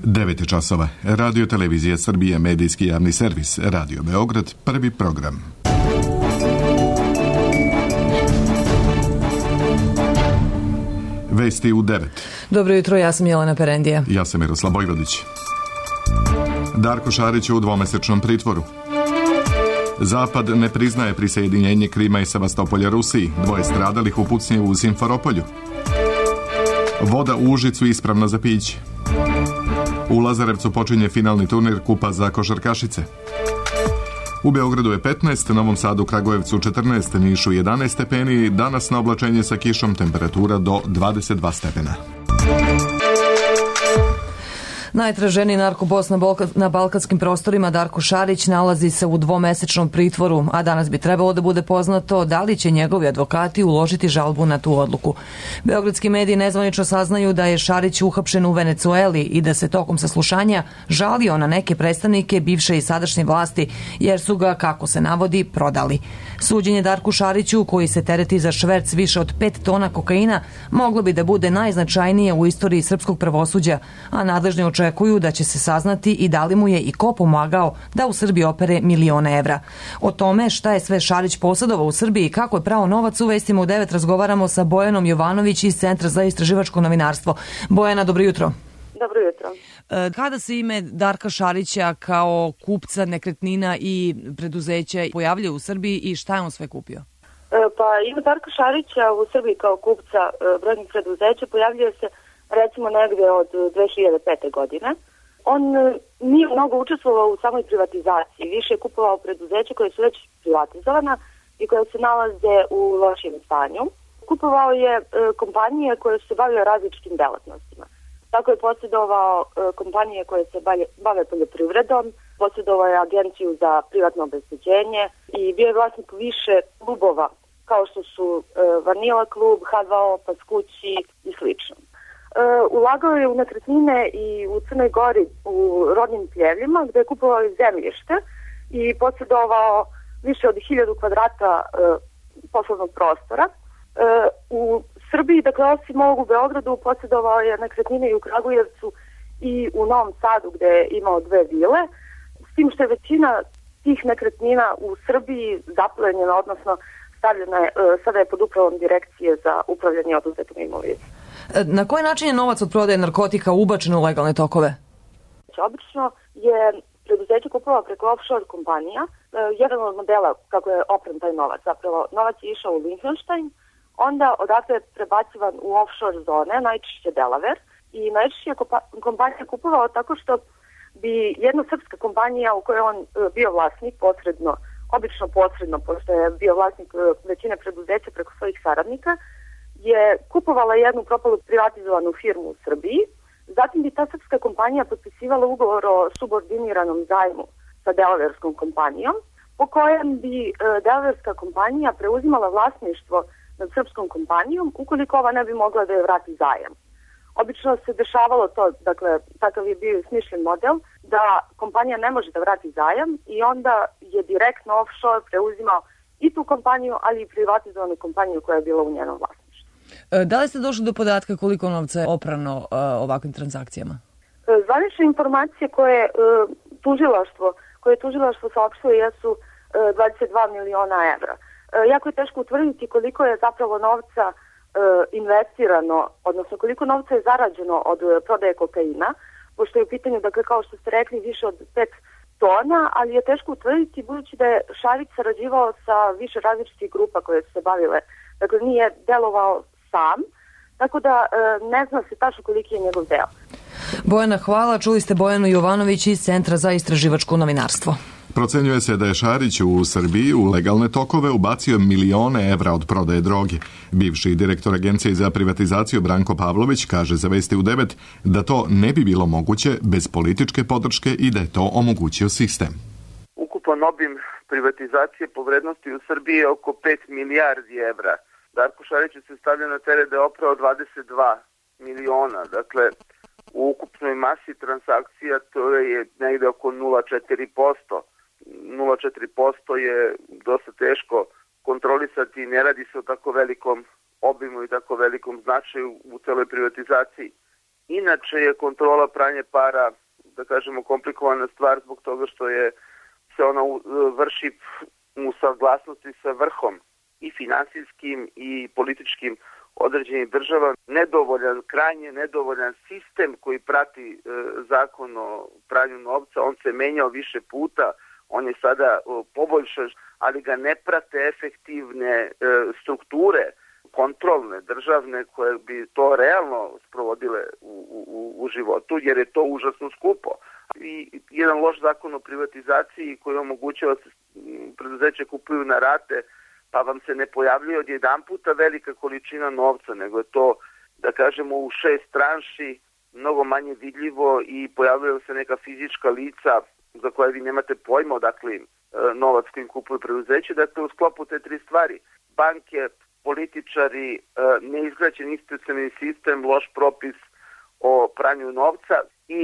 9 časova. Radio Televizija Srbije, medijski javni servis. Radio Beograd, prvi program. Vesti u 9. Dobro jutro, ja sam Jelena Perendija. Ja sam Miroslav Bojvodić. Darko Šarić je u dvomesečnom pritvoru. Zapad ne priznaje prisjedinjenje Krima i Sevastopolja Rusiji. 2 stradalih u pucnji u Simferopolju. Voda u Užicu ispravna za piće. U Lazarevcu počinje finalni turnir kupa za košarkašice. U Beogradu je 15, Novom Sadu, Kragujevcu 14, Nišu 11 stepeni, danas na oblačenje sa kišom, temperatura do 22 stepena. Najtraženiji narkobos na balkanskim prostorima Darko Šarić nalazi se u dvomesečnom pritvoru, a danas bi trebalo da bude poznato da li će njegovi advokati uložiti žalbu na tu odluku. Beogradski mediji nezvanično saznaju da je Šarić uhapšen u Venecueli i da se tokom saslušanja žalio na neke predstavnike bivše i sadašnje vlasti, jer su ga, kako se navodi, prodali. Suđenje Darku Šariću, koji se tereti za šverc više od 5 tona kokaina, moglo bi da bude najznačajnije u istoriji srpskog pravosuđa, a nadležni očekuju da će se saznati i da li mu je i ko pomagao da u Srbiji opere milione evra. O tome šta je sve Šarić posjedovao u Srbiji i kako je prao novac, u vestima u 9 razgovaramo sa Bojanom Jovanović iz Centra za istraživačko novinarstvo. Bojana, dobro jutro. Dobro jutro. Kada se ime Darka Šarića kao kupca nekretnina i preduzeća pojavljuje u Srbiji i šta je on sve kupio? Pa ime Darka Šarića u Srbiji kao kupca brojnih preduzeća pojavljuje se recimo negde od 2005. godine. On nije mnogo učestvovao u samoj privatizaciji, više je kupovao preduzeća koje su već privatizovana i koje se nalaze u lošem stanju. Kupovao je kompanije koje su se bavile različitim delatnostima. Tako je posjedovao kompanije koje se bave poljoprivredom, posjedovao je agenciju za privatno obezbeđenje i bio je vlasnik više klubova kao što su Vanila klub, H2O, Paskući i slično. Ulagao je u nekretnine i u Crnoj Gori u rodnim pljevljima gdje je kupovao zemljište i posjedovao više od 1000 kvadrata poslovnog prostora. U Srbiji, dakle osim ovog u Beogradu, posjedovao je nekretnine i u Kragujevcu i u Novom Sadu gdje je imao 2 vile, s tim što je većina tih nekretnina u Srbiji zaplenjena, odnosno stavljena je, sada je pod upravom Direkcije za upravljanje oduzetom imovinom. Na koji način je novac od prodaje narkotika ubačen u legalne tokove? Obično je preduzeće kupovao preko offshore kompanija. Jedan od modela kako je opran taj novac, zapravo novac je išao u Liechtenstein, onda odatle je prebacivan u offshore zone, najčešće Delaware, i najčešće je kompanija kupovao tako što bi jedna srpska kompanija u kojoj on bio vlasnik posredno, obično posredno, pošto je bio vlasnik većine preduzeća preko svojih saradnika, je kupovala jednu propalu privatizovanu firmu u Srbiji, zatim bi ta srpska kompanija potpisivala ugovor o subordiniranom zajmu sa delaverskom kompanijom, po kojem bi delaverska kompanija preuzimala vlasništvo nad srpskom kompanijom ukoliko ova ne bi mogla da je vrati zajam. Obično se dešavalo to, dakle, takav je bio smišljen model, da kompanija ne može da vrati zajam i onda je direktno offshore preuzimao i tu kompaniju, ali i privatizovanu kompaniju koja je bila u njenom vlasništvu. Da li ste došli do podatka koliko novca je oprano ovakvim transakcijama? Zvanične informacije koje tužilaštvo saopštilo jesu 22 miliona evra. Jako je teško utvrditi koliko je zapravo novca investirano, odnosno koliko novca je zarađeno od prodaje kokaina, pošto je u pitanju, dakle, kao što ste rekli, više od 5 tona, ali je teško utvrditi budući da je Šarić sarađivao sa više različitih grupa koje su se bavile. Dakle, nije delovao sam, tako da ne zna se tačno koliki je njegov deo. Bojana, hvala. Čuli ste Bojanu Jovanović iz Centra za istraživačko novinarstvo. Procenjuje se da je Šarić u Srbiji u legalne tokove ubacio milione evra od prodaje droge. Bivši direktor Agencije za privatizaciju Branko Pavlović kaže za Vesti u 9 da to ne bi bilo moguće bez političke podrške i da je to omogućio sistem. Ukupan obim privatizacije po vrednosti u Srbiji je oko 5 milijardi evra. Darko Šariću se stavlja na teret da je oprao 22 miliona. Dakle, u ukupnoj masi transakcija to je negde oko 0,4%. 0,4% je dosta teško kontrolisati, ne radi se o tako velikom obimu i tako velikom značaju u celoj privatizaciji. Inače je kontrola pranja para, da kažemo, komplikovana stvar zbog toga što se ona vrši u saglasnosti sa vrhom i finansijskim i političkim određenih država. Krajnje nedovoljan sistem koji prati zakon o pranju novca, on se menjao više puta, on je sada poboljšan, ali ga ne prate efektivne strukture kontrolne, državne, koje bi to realno sprovodile u životu, jer je to užasno skupo. I jedan loš zakon o privatizaciji koji omogućava da se preduzeće kupuju na rate, pa vam se ne pojavljuje odjedan puta velika količina novca, nego je to, da kažemo, u 6 tranši, mnogo manje vidljivo i pojavljaju se neka fizička lica za koje vi nemate pojma odakle novac kojim kupuju preduzeće. Dakle, u sklopu te 3 stvari, banke, političari, neizgrađen institucionalni sistem, loš propis o pranju novca i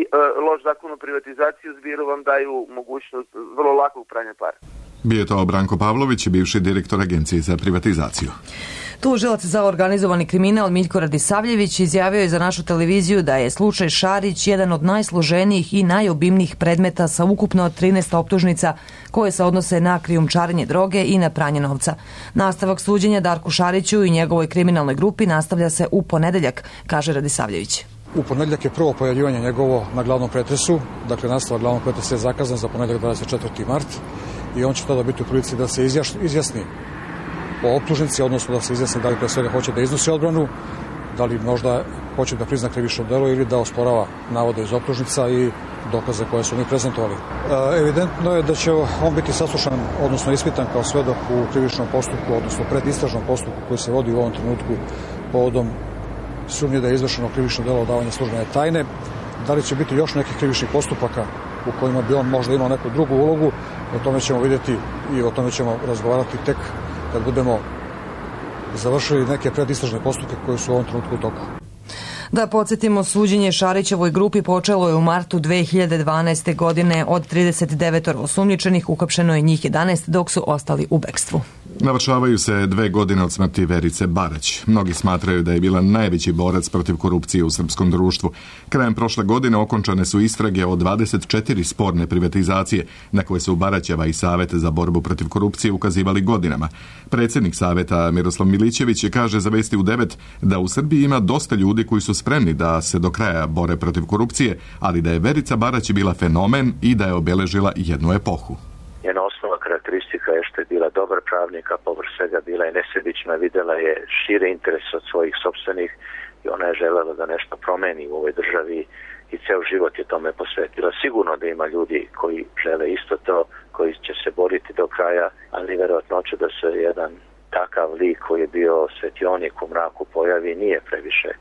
loš zakon o privatizaciji u zbiru vam daju mogućnost vrlo lakog pranja para. Bio je to Branko Pavlović, bivši direktor Agencije za privatizaciju. Tužilac za organizovani kriminal Miljko Radisavljević izjavio je za našu televiziju da je slučaj Šarić jedan od najsloženijih i najobimnijih predmeta sa ukupno 13 optužnica koje se odnose na krijumčarenje droge i na pranje novca. Nastavak suđenja Darku Šariću i njegovoj kriminalnoj grupi nastavlja se u ponedeljak, kaže Radisavljević. U ponedeljak je prvo pojavljivanje njegovo na glavnom pretresu, dakle nastavak glavnog pretresa je zakazan za ponedeljak 24. mart i on će tada biti u prilici da se izjasni o optužnici, odnosno da se izjasni da li pre svega hoće da iznosi odbranu, da li možda hoće da prizna krivično delo ili da osporava navode iz optužnica i dokaze koje su oni prezentovali. Evidentno je da će on biti saslušan, odnosno ispitan kao svedok u krivičnom postupku, odnosno predistražnom postupku koji se vodi u ovom trenutku povodom sumnje da je izvršeno krivično delo odavanja službene tajne. Da li će biti još nekih krivičnih postupaka u kojima bi on možda imao neku drugu ulogu, o tome ćemo vidjeti i o tome ćemo razgovarati tek kad budemo završili neke predistražne postupke koje su u ovom trenutku u toku. Da podsjetimo, suđenje Šarićevoj grupi počelo je u martu 2012. godine. Od 39 osumnjičenih uhapšeno je njih 11, dok su ostali u bekstvu. Navršavaju se 2 godine od smrti Verice Barać. Mnogi smatraju da je bila najveći borac protiv korupcije u srpskom društvu. Krajem prošle godine okončane su istrage o 24 sporne privatizacije, na koje su Baraćeva i Savet za borbu protiv korupcije ukazivali godinama. Predsjednik Saveta Miroslav Milićević kaže za Vesti u 9 da u Srbiji ima dosta ljudi koji su spremni da se do kraja bore protiv korupcije, ali da je Verica Barać bila fenomen i da je obeležila jednu epohu. Njena osnovna karakteristika je što je bila dobar pravnik, a povrh svega bila je nesebična, videla je šire interes od svojih sopstvenih i ona je želela da nešto promeni u ovoj državi i ceo život je tome posvetila. Sigurno da ima ljudi koji žele isto to, koji će se boriti do kraja, ali verovatnoća da se jedan takav lik koji je bio svetionik u mraku pojavi nije previše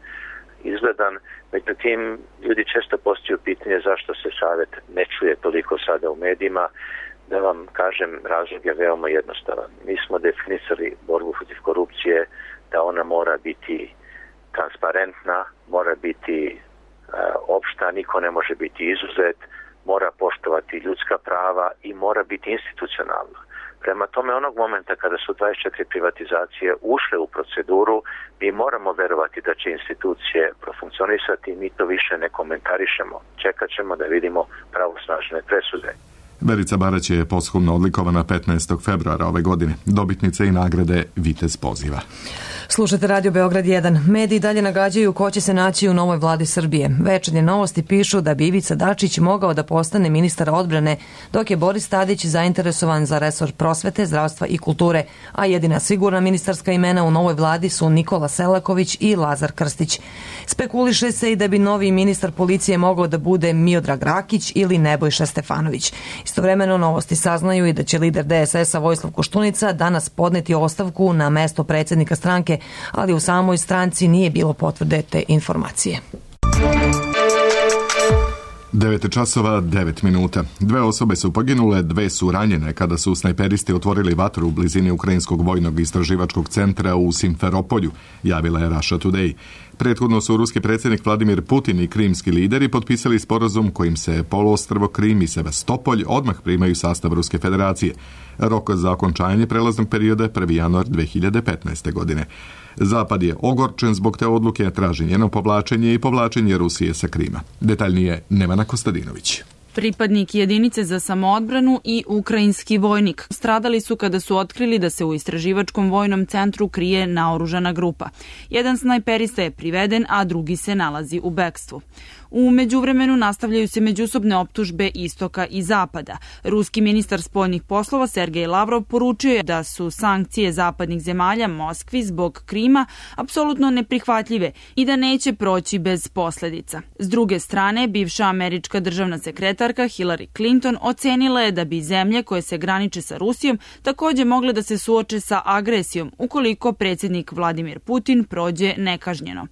izgledan. Međutim, ljudi često postavljaju pitanje zašto se Savet ne čuje toliko sada u medijima. Da vam kažem, razlog je veoma jednostavan. Mi smo definisali borbu protiv korupcije da ona mora biti transparentna, mora biti opšta, niko ne može biti izuzet, mora poštovati ljudska prava i mora biti institucionalna. Prema tome, onog momenta kada su 24 privatizacije ušle u proceduru, mi moramo verovati da će institucije profunkcionisati i mi to više ne komentarišemo. Čekat ćemo da vidimo pravosnažne presude. Verica Barać je posthumno odlikovana 15. februara ove godine. Dobitnica i nagrade Vitez poziva. Slušate Radio Beograd 1. Mediji dalje nagađaju ko će se naći u novoj vladi Srbije. Večernje novosti pišu da bi Ivica Dačić mogao da postane ministar odbrane, dok je Boris Tadić zainteresovan za resor prosvete, zdravstva i kulture, a jedina sigurna ministarska imena u novoj vladi su Nikola Selaković i Lazar Krstić. Spekuliše se i da bi novi ministar policije mogao da bude Miodrag Rakić ili Nebojša Stefanović. Istovremeno novosti saznaju i da će lider DSS-a Vojislav Koštunica danas podneti ostavku na mesto predsjednika stranke, ali u samoj stranci nije bilo potvrde te informacije. 9 časova, 9 minuta. 2 osobe su poginule, 2 su ranjene kada su snajperisti otvorili vatru u blizini Ukrajinskog vojnog istraživačkog centra u Simferopolju, javila je Russia Today. Prethodno su ruski predsjednik Vladimir Putin i krimski lideri potpisali sporazum kojim se poluostrvo Krim i Sevastopolj odmah primaju sastav Ruske federacije. Rok za okončanje prelaznog perioda je 1. januar 2015. godine. Zapad je ogorčen zbog te odluke, traži njeno povlačenje i povlačenje Rusije sa Krima. Detaljnije Nevana Kostadinović. Pripadnik jedinice za samoodbranu i ukrajinski vojnik stradali su kada su otkrili da se u istraživačkom vojnom centru krije naoružana grupa. Jedan snajperista je priveden, a drugi se nalazi u bekstvu. U međuvremenu nastavljaju se međusobne optužbe istoka i zapada. Ruski ministar spoljnih poslova Sergej Lavrov poručio je da su sankcije zapadnih zemalja Moskvi zbog Krima apsolutno neprihvatljive i da neće proći bez posledica. S druge strane, bivša američka državna sekretarka Hillary Clinton ocenila je da bi zemlje koje se graniče sa Rusijom takođe mogle da se suoče sa agresijom ukoliko predsjednik Vladimir Putin prođe nekažnjeno.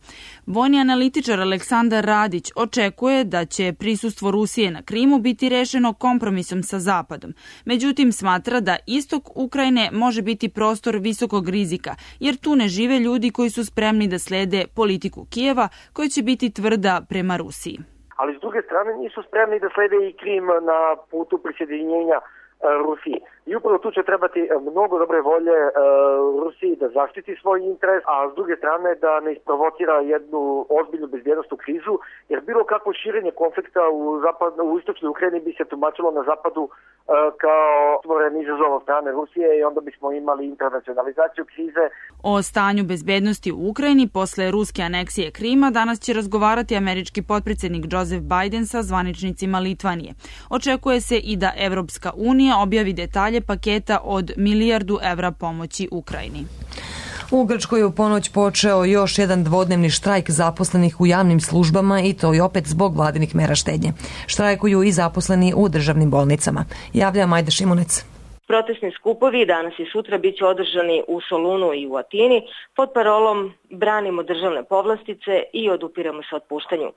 Vojni analitičar Aleksandar Radić očekuje da će prisustvo Rusije na Krimu biti rešeno kompromisom sa Zapadom. Međutim, smatra da istok Ukrajine može biti prostor visokog rizika, jer tu ne žive ljudi koji su spremni da slede politiku Kijeva, koja će biti tvrda prema Rusiji. Ali s druge strane nisu spremni da slede i Krim na putu prisjedinjenja Rusiji. I upravo tu će trebati mnogo dobre volje Rusiji da zaštiti svoj interes, a s druge strane da ne isprovocira jednu ozbiljnu bezbjednostnu krizu, jer bilo kakvo širenje konflikta u istočnoj Ukrajini bi se tumačilo na zapadu kao stvoren izazov od strane Rusije i onda bismo imali internacionalizaciju krize. O stanju bezbednosti u Ukrajini posle ruske aneksije Krima danas će razgovarati američki potpredsjednik Joseph Biden sa zvaničnicima Litvanije. Očekuje se i da Evropska unija objavi detalje paketa od $1 milijardu pomoći Ukrajini. U Grčkoj je u ponoć počeo još jedan dvodnevni štrajk zaposlenih u javnim službama i to i opet zbog vladinih mera štednje. Štrajkuju i zaposleni u državnim bolnicama. Javlja Majda Šimunec. Protestni skupovi danas i sutra biće održani u Solunu i u Atini pod parolom Branimo državne povlastice i odupiramo se otpuštanju.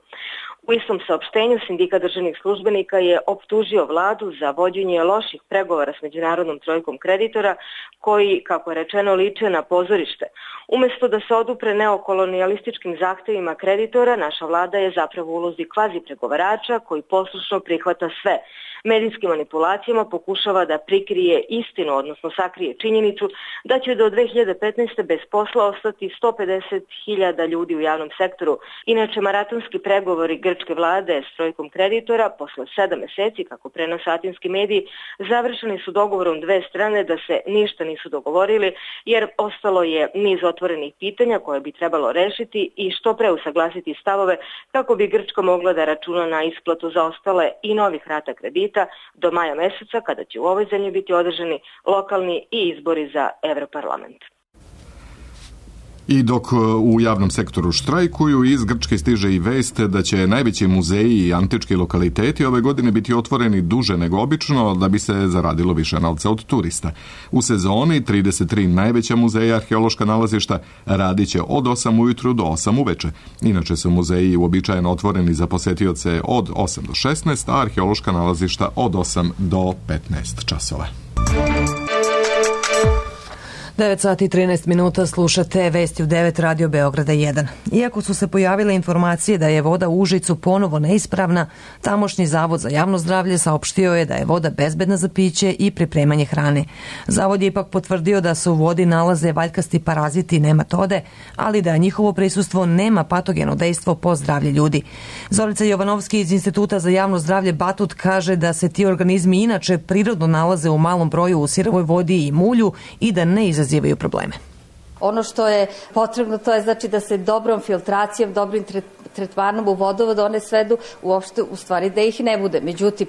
U istom saopštenju sindikat državnih službenika je optužio vladu za vođenje loših pregovora s međunarodnom trojkom kreditora koji, kako je rečeno, liče na pozorište. Umesto da se odupre neokolonijalističkim zahtevima kreditora, naša vlada je zapravo u ulozi kvazi pregovarača koji poslušno prihvata sve. Medijskim manipulacijama pokušava da prikrije istinu, odnosno sakrije činjenicu da će do 2015. bez posla ostati 150.000 ljudi u javnom sektoru. Inače, maratonski pregovori grčke vlade s trojkom kreditora posle 7 meseci, kako prenose atinski mediji, završeni su dogovorom dve strane da se ništa nisu dogovorili, jer ostalo je niz otvorenih pitanja koje bi trebalo rešiti i što pre usaglasiti stavove kako bi Grčka mogla da računa na isplatu zaostale i novih rata kredita do maja meseca, kada će u ovoj zemlji biti održani lokalni i izbori za Evroparlament. I dok u javnom sektoru štrajkuju, iz Grčke stiže i vest da će najveći muzeji i antički lokaliteti ove godine biti otvoreni duže nego obično da bi se zaradilo više novca od turista. U sezoni 33 najveća muzeja arheološka nalazišta radit će od 8 ujutru do 8 uveče. Inače su muzeji uobičajeno otvoreni za posetioce od 8 do 16, a arheološka nalazišta od 8 do 15 časova. 9 sati i 13 minuta slušate Vesti u 9 Radio Beograda 1. Iako su se pojavile informacije da je voda u Užicu ponovo neispravna, tamošnji Zavod za javno zdravlje saopštio je da je voda bezbedna za piće i pripremanje hrane. Zavod je ipak potvrdio da se u vodi nalaze valjkasti paraziti i nematode, ali da njihovo prisustvo nema patogeno dejstvo po zdravlje ljudi. Zorica Jovanovski iz Instituta za javno zdravlje Batut kaže da se ti organizmi inače prirodno nalaze u malom broju u sirovoj vodi i mulju i da ne izazivaju probleme. Ono što je potrebno to je znači da se dobrom filtracijom, dobrim tretmanom u vodovod one svedu uopšte u stvari da ih ne bude. Međutim,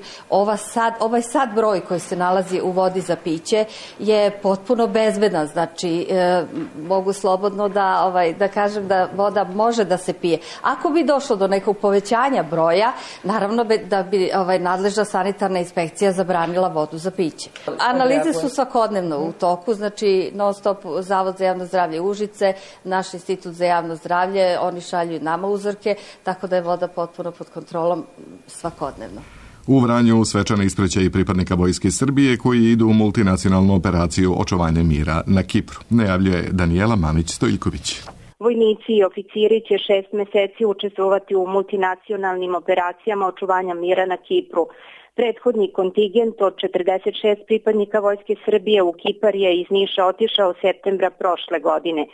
ovaj sad broj koji se nalazi u vodi za piće je potpuno bezbedan. Znači, mogu slobodno da kažem da voda može da se pije. Ako bi došlo do nekog povećanja broja, naravno da bi nadležna sanitarna inspekcija zabranila vodu za piće. Analize su svakodnevno u toku, znači non stop Zavod za javno zdravlje Užice, naš Institut za javno zdravlje, oni šalju nama uzorke, tako da je voda potpuno pod kontrolom svakodnevno. U Vranju svečana ispraćaj pripadnika Vojske Srbije koji idu u multinacionalnu operaciju očuvanja mira na Kipru. Najavljuje Danijela Mamić-Stojiljković. Vojnici i oficiri će 6 meseci učestvovati u multinacionalnim operacijama očuvanja mira na Kipru. Prethodni kontingent od 46 pripadnika Vojske Srbije u Kipar je iz Niša otišao septembra prošle godine.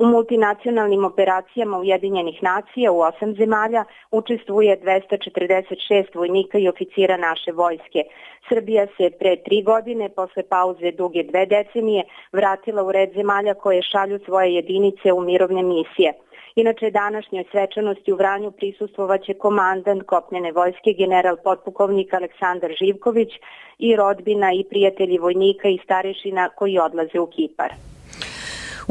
U multinacionalnim operacijama Ujedinjenih nacija u 8 zemalja učestvuje 246 vojnika i oficira naše vojske. Srbija se pre 3 godine, posle pauze duge 2 decenije, vratila u red zemalja koje šalju svoje jedinice u mirovne misije. Inače, današnjoj svečanosti u Vranju prisustvovaće komandant kopnene vojske general potpukovnik Aleksandar Živković i rodbina i prijatelji vojnika i starešina koji odlaze u Kipar.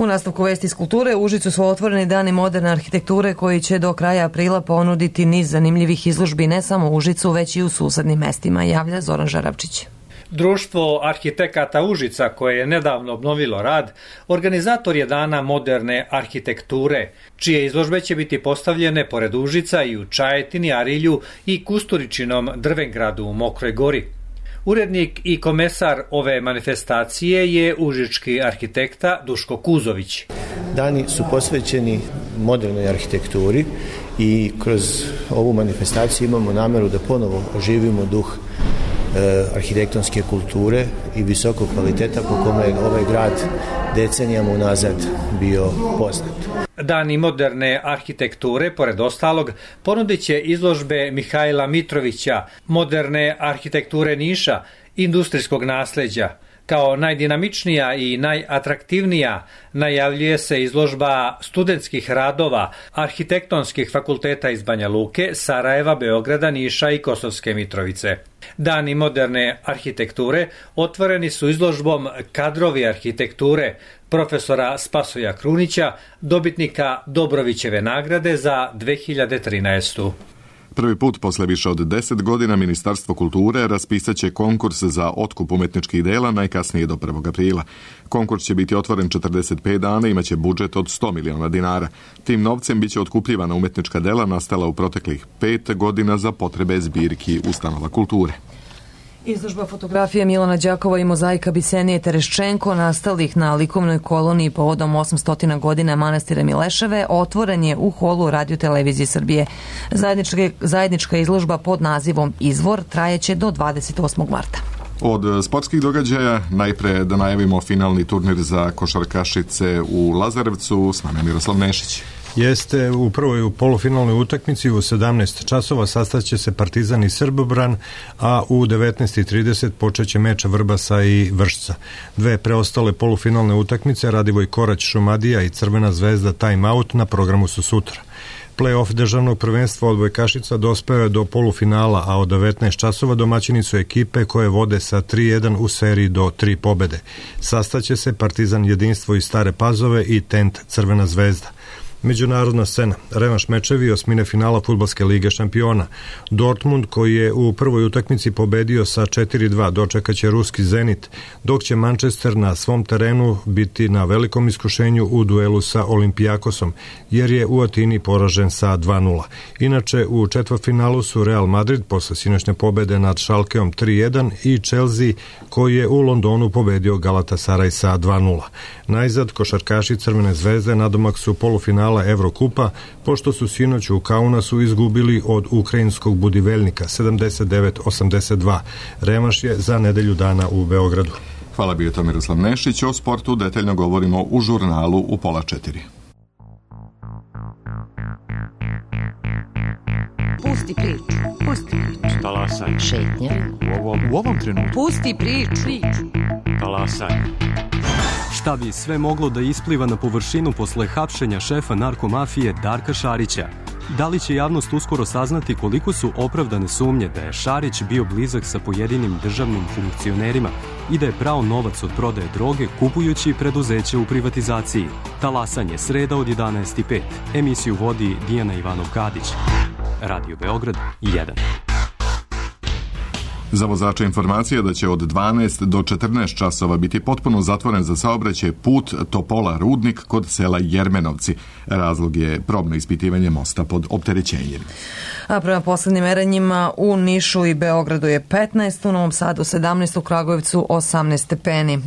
U nastavku vesti iz kulture, u Užicu su otvoreni dani moderne arhitekture koji će do kraja aprila ponuditi niz zanimljivih izložbi ne samo u Užicu, već i u susednim mestima, javlja Zoran Žarabčić. Društvo arhitekata Užica, koje je nedavno obnovilo rad, organizator je dana moderne arhitekture, čije izložbe će biti postavljene pored Užica i u Čajetini, Arilju i Kusturičinom Drvengradu u Mokroj Gori. Urednik i komesar ove manifestacije je užički arhitekta Duško Kuzović. Dani su posvećeni modernoj arhitekturi i kroz ovu manifestaciju imamo nameru da ponovo oživimo duh arhitektonske kulture i visokog kvaliteta po kome je ovaj grad decenijama unazad bio poznat. Dani moderne arhitekture, pored ostalog, ponudit će izložbe Mihajla Mitrovića, moderne arhitekture Niša, industrijskog nasleđa. Kao najdinamičnija i najatraktivnija najavljuje se izložba studentskih radova arhitektonskih fakulteta iz Banja Luke, Sarajeva, Beograda, Niša i Kosovske Mitrovice. Dani moderne arhitekture otvoreni su izložbom Kadrovi arhitekture profesora Spasoja Krunića, dobitnika Dobrovićeve nagrade za 2013. Prvi put posle više od 10 godina Ministarstvo kulture raspisat će konkurs za otkup umetničkih dela najkasnije do 1. aprila. Konkurs će biti otvoren 45 dana i imaće budžet od 100 miliona dinara. Tim novcem biće otkupljivana umetnička dela nastala u proteklih 5 godina za potrebe zbirki ustanova kulture. Izložba fotografije Milana Đakova i mozaika Bisenije Tereščenko nastalih na likovnoj koloniji povodom 800 godina manastira Mileševe otvoren je u holu Radio-televizije Srbije. Zajednička izložba pod nazivom Izvor trajeće do 28. marta. Od sportskih događaja najpre da najavimo finalni turnir za košarkašice u Lazarevcu. S nama je Miroslav Nešić. Jeste, u prvoj polufinalnoj utakmici u 17 časova sastaće se Partizan i Srbobran, a u 19:30 počeće meč Vrbasa i Vršca. Dve preostale polufinalne utakmice, Radivoj Korać Šumadija i Crvena zvezda Time Out, na programu su sutra. Play-off državnog prvenstva odbojkašica dospeo je do polufinala, a od 19 časova domaćini su ekipe koje vode sa 3-1 u seriji do 3 pobede. Sastaće se Partizan Jedinstvo iz Stare Pazove i Tent Crvena zvezda. Međunarodna scena, revanš mečevi osmine finala Fudbalske lige šampiona. Dortmund, koji je u prvoj utakmici pobedio sa 4-2, dočekaće ruski Zenit, dok će Manchester na svom terenu biti na velikom iskušenju u duelu sa Olimpijakosom, jer je u Atini poražen sa 2-0. Inače, u četvrtfinalu su Real Madrid posle sinoćne pobede nad Schalkeom 3-1 i Chelsea, koji je u Londonu pobedio Galatasaray sa 2-0. Najzad, košarkaši Crvene zvezde nadomak su polufinala Evrokupa, pošto su sinoć u Kaunasu izgubili od ukrajinskog Budivelnika 79-82. Revanš je za nedelju dana u Beogradu. Hvala, bio to Miroslav Nešić. O sportu detaljno govorimo u žurnalu u 3:30. Pusti priču, pusti priču. Talasaj. Šetnja. U ovom trenutku. Pusti priču. Talasaj. Šta bi sve moglo da ispliva na površinu posle hapšenja šefa narkomafije Darka Šarića? Da li će javnost uskoro saznati koliko su opravdane sumnje da je Šarić bio blizak sa pojedinim državnim funkcionerima i da je prao novac od prodaje droge kupujući preduzeće u privatizaciji? Talasanje, sreda od 11:05. Emisiju vodi Dijana Ivanov-Kadić. Radio Beograd 1. Za vozača informacija da će od 12 do 14 časova biti potpuno zatvoren za saobraćaj put Topola-Rudnik kod sela Jermenovci. Razlog je probno ispitivanje mosta pod opterećenjem. A prema poslednjim merenjima u Nišu i Beogradu je 15, u Novom Sadu 17, u Kragujevcu 18 stepeni.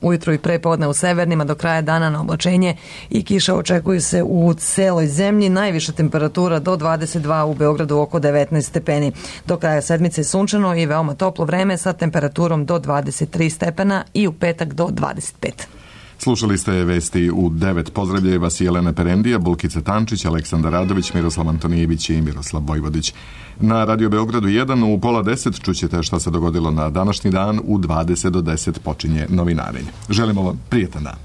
Ujutro i prepodne u severnima, do kraja dana na oblačenje i kiša očekuju se u celoj zemlji. Najviša temperatura do 22, u Beogradu oko 19 stepeni. Do kraja sedmice sunčano i veoma toplo vreme sa temperaturom do 23 stepena i u petak do 25. Slušali ste vesti u 9. Pozdravljaju vas Jelena Perendija, Bulkica Tančić, Aleksandar Radović, Miroslav Antonijević i Miroslav Vojvodić. Na Radio Beogradu 1 u 9:30 čućete šta se dogodilo na današnji dan. U 20 do 10 počinje novinarenje. Želimo vam prijetan dan.